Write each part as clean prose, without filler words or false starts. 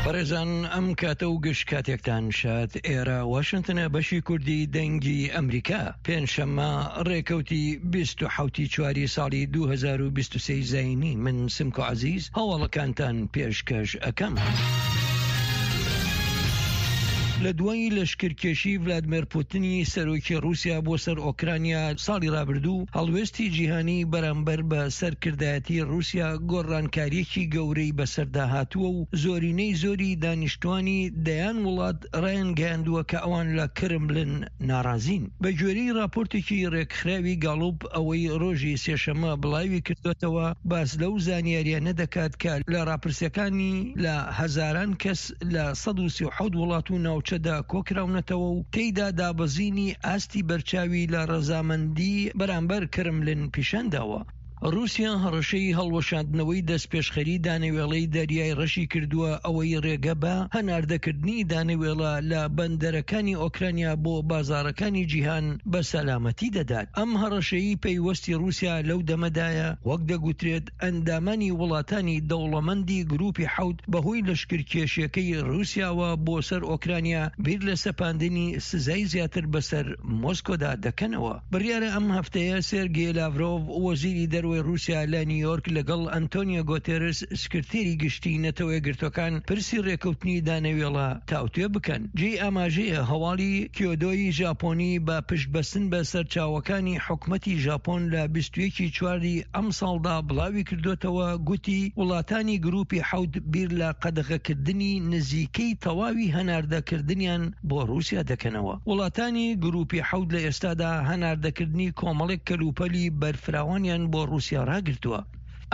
بەڕێزان ئەم کاتە و گشت کاتێکتان شاد ئێرە واشنتنە بەشی کوردی دەنگی ئەمریکا پێنجشەممە ڕێکەوتی 27 چواری ساڵی 2023 زینی من سمکۆ عزیز هەواڵەکانتان پێشکەش ئەکەم. لە دوای لەشکرکێشی ڤلادمێر پوتنی سەرۆکی ڕووسیا بۆ سەر ئۆکرانیا ساڵی ڕابردوو، هەڵوێستی جیهانی بەرامبەر بە سەرکردایەتی ڕووسیا گۆڕانکارییەکی گەورەی بەسەردا هاتووە و زۆرینەی زۆری دانیشتوانی دەیان وڵات ڕایانگەیاندووە کە ئەوان لە کرملن ناڕازین. بە گوێرەی ڕاپۆرتێکی ڕێکخراوی گاڵوپ ئەوەی ڕۆژی سێشەممە بڵاوی کردووەتەوە باس لەو زانیارییانە دەکات کە لە ڕاپرسیەکانی لە هەزاران کەس لە 137 وڵات و ناوچەدا کۆکراونەتەوە و تێیدا دابەزینی ئاستی بەرچاوی لە ڕەزامەندی بەرامبەر کرملن پیشانداوە. ڕووسیا هەڕەشەی هەڵوەشاندنەوەی دەستپێشخەری دانەوێڵەی دەریای ڕەشی کردووە، ئەوەی ڕێگە بە هەناردەکردنی دانەوێڵە لە بەندەرەکانی ئۆکرانیا بۆ بازاڕەکانی جیهان بە سەلامەتی دەدات. ئەم هەڕەشەیی پەیوەستی ڕووسیا لەو دەمەدایە، وەک دەگوترێت ئەندامانی وڵاتانی دەوڵەمەندی گروپی حەوت بەهۆی لەشکرکێشیەکەی ڕووسیاوە بۆ سەر ئۆکرانیا بیر لە سەپاندنی سزای زیاتر بەسەر مۆسکۆدا دەکەنەوە. بڕیارە ئەم هەفتەیە سێرگێ لاڤرۆڤ، وەزیری دەرەوەی ڕووسیا لە نیویۆرک لەگەڵ ئەنتۆنیۆ گۆتێرس، سکرتێری گشتی نەتەوەیەکگرتووەکان پرسی ڕێککەوتنی دانەوێڵە تاوتوێ بکەن. جێی ئاماژەیە هەواڵی کیۆدۆی ژاپۆنی بە پشتبەستن بە سەرچاوەکانی حکومەتی ژاپۆن لە 21 ی چواری ئەمساڵدا بڵاویکردۆتەوە گوتی وڵاتانی گروپی حەوت بیر لە قەدەغەکردنی نزیکەی تەواوی هەناردەکردنیان بۆ ڕووسیا دەکەنەوە. وڵاتانی گروپی حەوت لە ئێستادا هەناردەکردنی کۆمەڵێک کەلوپەلی بەرفراوانیان بۆ ڕووسیا ڕاگرتووە.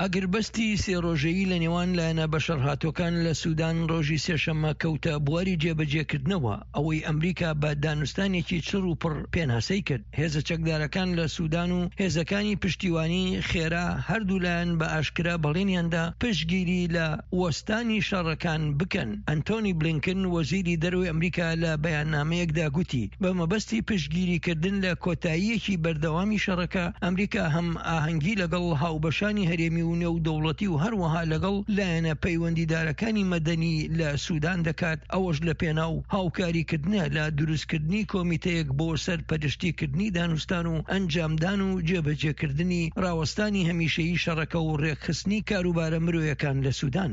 ئاگربەستی سێ ڕۆژەیی لە نێوان لایەنە بەشەڕهاتووەکان لە سودان ڕۆژی سێشەممە کەوتە بواری جێبەجێکردنەوە، ئەوەی ئەمریکا بە دانوستانێکی چڕ و پڕ پێناسەی کرد. هێزە چەکدارەکان لە سودان و هێزەکانی پشتیوانی خێرا هەردوولایان بە ئاشکرا بەڵێنیاندا پشتگیری لە وەستانی شەڕەکان بکەن. ئەنتۆنی بلینکن وەزیری دەرەوەی ئەمریکا لە بەیاننامەیەکدا گوتی بە مەبەستی پشتگیریکردن لە کۆتاییەکی بەردەوامی شەڕەکە، ئەمریکا هەمئاهەنگی لەگەڵ هاوبەشانی هەرێمی و نێودەوڵەتی و هەروەها لەگەڵ لایەنە پەیوەندیدارەکانی مەدەنی لە سودان دەکات، ئەوەش لە پێناو هاوکاریکردنە لە دروستکردنی کۆمیتەیەک بۆ سەرپەرشتیکردنی دانوستان و ئەنجامدان و جێبەجێکردنی ڕاوەستانی هەمیشەیی شەڕەکە و ڕێکخستنی کاروبارە مرۆیەکان لە سودان.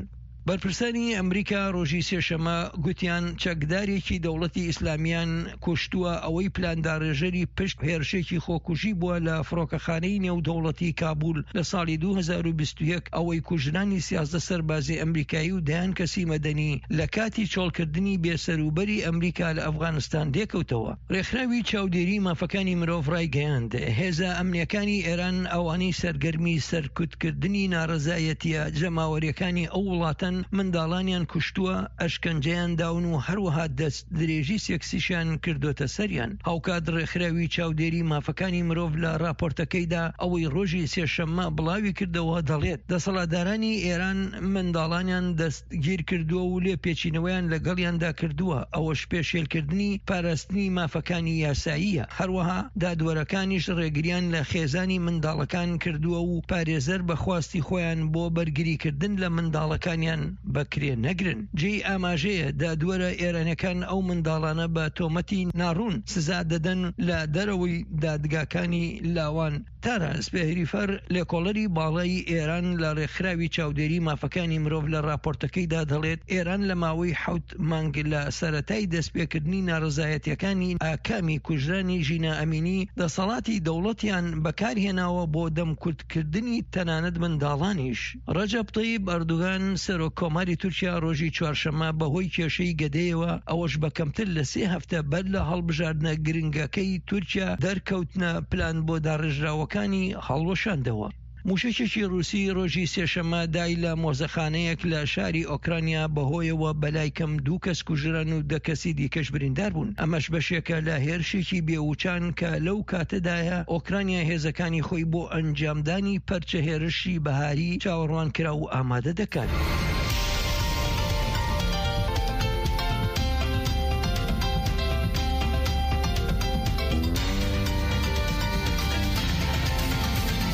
بەرپرسانی ئەمریکا ڕۆژی سێشەمە گوتیان چەکدارێکی دەوڵەتی ئیسلامیان کوشتووە ئەوەی پلانداڕێژەری پشت هێرشێکی خۆکوژی بووە لە فڕۆکەخانەی نێودەوڵەتی کابول لە ساڵی 2021 ئەوەی کوژرانی 13 سەربازی ئەمریکایی و دەیان کەسی مەدەنی لە کاتی چۆڵکردنی بێسەروبەری ئەمریکا لە ئەفغانستان لێکەوتەوە. ڕێکخراوی چاودێری مافەکانی مرۆڤ ڕایگەیاند، هێزە ئەمنییەکانی ئێران ئەوانەی سەرگەرمی سەرکوتکردنی ناڕەزایەتییە جەماوەرییەکانی ئەو وڵاتەن منداڵانیان کوشتووە، ئەشکەنجەیان داون و هەروەها دەستدرێژی سێکسیشیان کردۆتە سەریان. هاوکات ڕێکخراوی چاودێری مافەکانی مرۆڤ لە ڕاپۆرتەکەیدا ئەوەی ڕۆژی سێشەممە بڵاویکردەوە دەڵێت، دەسەڵاتدارانی ئێران منداڵانیان دەست گیرکردووە و لێپێچینەوەیان لەگەڵیاندا کردووە، ئەوەش پێشێلکردنی پاراستنی مافەکانی یاساییە، هەروەها دادوەرەکانیش ڕێگریان لە خێزانی منداڵەکان کردووە و پارێزەر بە خواستی خۆیان بۆ بەرگریکردن لە منداڵەکانیان بە کرێ نەگرن. جێی ئاماژەیە دادوەرە ئێرانیەکان ئەو منداڵانە بە تۆمەتی ناڕوون سزا دەدەن لە دەرەوەی دادگاکانی لاوان، تارا سپێهریفەر، لێکۆڵەری باڵای ئێران لە ڕێکخراوی چاودێری مافەکانی مرۆڤ لە ڕاپۆرتەکەیدا دەڵێت، ئێران لە ماوەی حەوت مانگ لە سەرەتای دەستپێکردنی ناڕەزایەتییەکانی ئاکامی کوژرانی ژینا ئەمینی، دەسەڵاتی دەوڵەتیان بەکارهێناوە بۆ دەمکوتکردنی تەنانەت منداڵانیش. ڕەجەب تەیب ئەردوگان، سەرۆک کۆماری تورکیا ڕۆژی چوارشەممە بەهۆی کێشەی گەدەیەوە، ئەوەش بە کەمتر لە سێ هەفتە بەر لە هەڵبژاردنە گرنگەکەی تورکیا، دەرکەوتنە پلان بۆ داڕێژراوەکانی هەڵوەشاندەوە. موشەکێکی ڕوسی ڕۆژی سێشەممە دای لە مۆزەخانەیەک لە شاری ئۆکرانیا، بەهۆیەوە بەلای کەم دوو کەس کوژران و دە کەسی دیکەش بریندار بوون، ئەمەش بەشێکە لە هێرشێکی بێوچان کە لەو کاتەدایە ئۆکرانیا هێزەکانی خۆی بۆ ئەنجامدانی پەرچە هێرشی بەهاری چاوەڕوانکراو ئامادە دەکات.